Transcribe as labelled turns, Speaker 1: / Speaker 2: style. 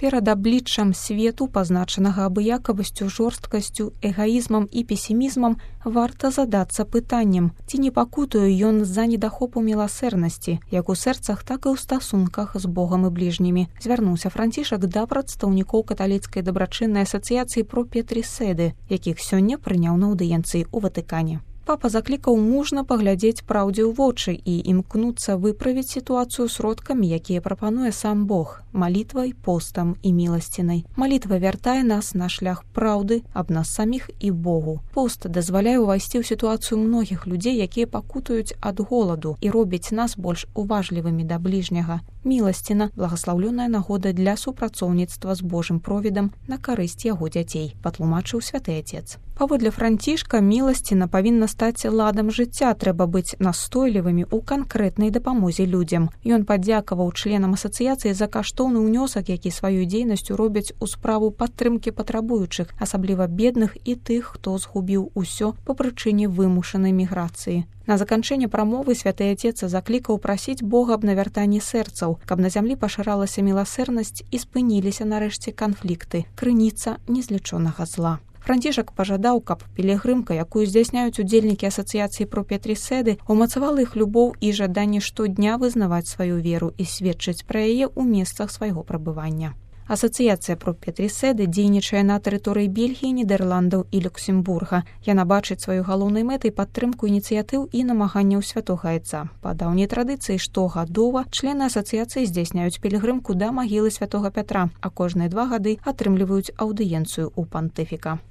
Speaker 1: Перад абліччам свету, пазначанага абыякавасцю, жорсткасцю, эгаізмам і песімізмам, варта задацца пытаннем, ці не пакутуе ён з-за недахопу міласэрнасці, як у сэрцах, так і ў стасунках з Богам і бліжнімі. Звярнуўся Францішак да прадстаўнікоў каталіцкай дабрачыннай асацыяцыі про Петріседы, якіх сёння прыняў на аўдыенцыі ў Ватыкане. Папа заклікаў мужна паглядзець праўдзе ў вочы і імкнуцца выправіць сітуацыю сродкамі, якія прапануе сам Бог – малітвай, постам і міласцінай. Малітва вяртае нас на шлях праўды аб нас саміх і Богу. Пост дазваляе ўвайсці ў сітуацыю многіх людзей, якія пакутаюць ад голаду і робяць нас больш уважлівымі да бліжняга. Міласціна – благаслаўлёная нагода для супрацоўніцтва з Божым провідам на карысць яго дзяцей, патлумачыў святы Отец. Паводле Францішка, міласціна павінна стаць ладам жыцця, трэба быць настойлівымі ў канкрэтнай дапамозе людзям. Ён падзякаваў членам асацыяцыі за каштоўны ўнёсак, які сваёй дзейнасцю робяць у справу падтрымкі патрабуючых, асабліва бедных і тых, хто згубіў усё па прычыне вымушанай міграцыі. На заканчэнне прамовы святы Отец заклікаў прасіць Бога аб навяртанні сэрцаў, каб на зямлі пашыралася міласэрнасць і спыніліся нарэшце канфлікты, крыніца незлічонага зла. Францішак пажадаў, каб пілігрымка, якую здзяйсняюць удзельнікі асацыяцыі про Петріседы, умацавала іх любоў і жаданне штодня вызнаваць сваю веру і сведчыць пра яе ў месцах свайго прабывання. Асацыяцыя про Петріседы дзейнічае на тэрыторыі Бельгіі, Нідерландаў і Люксембурга. Яна бачыць сваёй галоўнай мэтай падтрымку ініцыятыў і намаганняў святога Айца. Па даўняй традыцыі штогадова члены асацыяцыі здзяйсняюць пілігрымку да магілы святога Пятра, а кожныя 2 гады атрымліваюць аўдыенцыю ў пантыфіка.